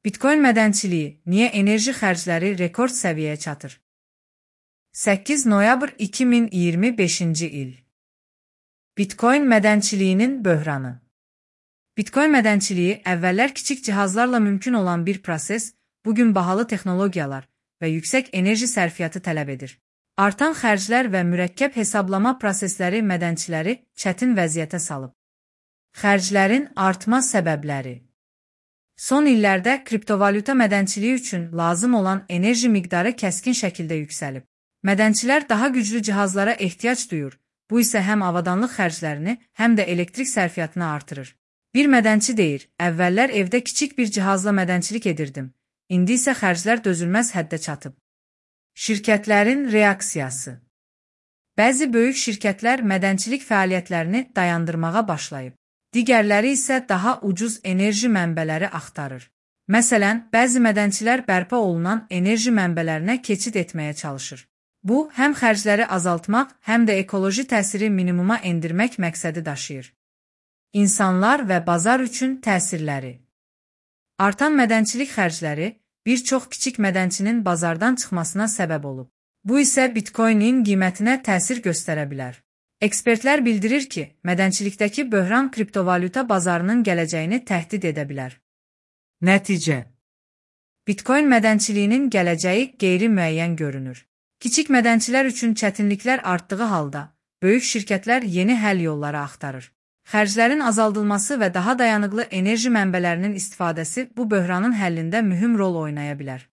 Bitcoin mədənçiliyi niyə enerji xərcləri rekord səviyyəyə çatır? 8 noyabr 2025-ci il. Bitcoin mədənçiliyinin böhranı. Bitcoin mədənçiliyi əvvəllər kiçik cihazlarla mümkün olan bir proses, bugün bahalı texnologiyalar və yüksək enerji sərfiyyatı tələb edir. Artan xərclər və mürəkkəb hesablama prosesləri mədənçiləri çətin vəziyyətə salıb. Xərclərin artma səbəbləri. Son illərdə kriptovalyuta mədənçiliyi üçün lazım olan enerji miqdarı kəskin şəkildə yüksəlib. Mədənçilər daha güclü cihazlara ehtiyac duyur, bu isə həm avadanlıq xərclərini, həm də elektrik sərfiyyatını artırır. Bir mədənçi deyir, əvvəllər evdə kiçik bir cihazla mədənçilik edirdim, indi isə xərclər dözülməz həddə çatıb. Şirkətlərin reaksiyası. Bəzi böyük şirkətlər mədənçilik fəaliyyətlərini dayandırmağa başlayıb. Digərləri isə daha ucuz enerji mənbələri axtarır. Məsələn, bəzi mədənçilər bərpa olunan enerji mənbələrinə keçid etməyə çalışır. Bu, həm xərcləri azaltmaq, həm də ekoloji təsiri minimuma endirmək məqsədi daşıyır. İnsanlar və bazar üçün təsirləri. Artan mədənçilik xərcləri bir çox kiçik mədənçinin bazardan çıxmasına səbəb olub. Bu isə Bitcoin-in qiymətinə təsir göstərə bilər. Ekspertlər bildirir ki, mədənçilikdəki böhran kriptovalyuta bazarının gələcəyini təhdid edə bilər. Nəticə. Bitcoin mədənçiliyinin gələcəyi qeyri-müəyyən görünür. Kiçik mədənçilər üçün çətinliklər artdığı halda, böyük şirkətlər yeni həll yolları axtarır. Xərclərin azaldılması və daha dayanıqlı enerji mənbələrinin istifadəsi bu böhranın həllində mühüm rol oynaya bilər.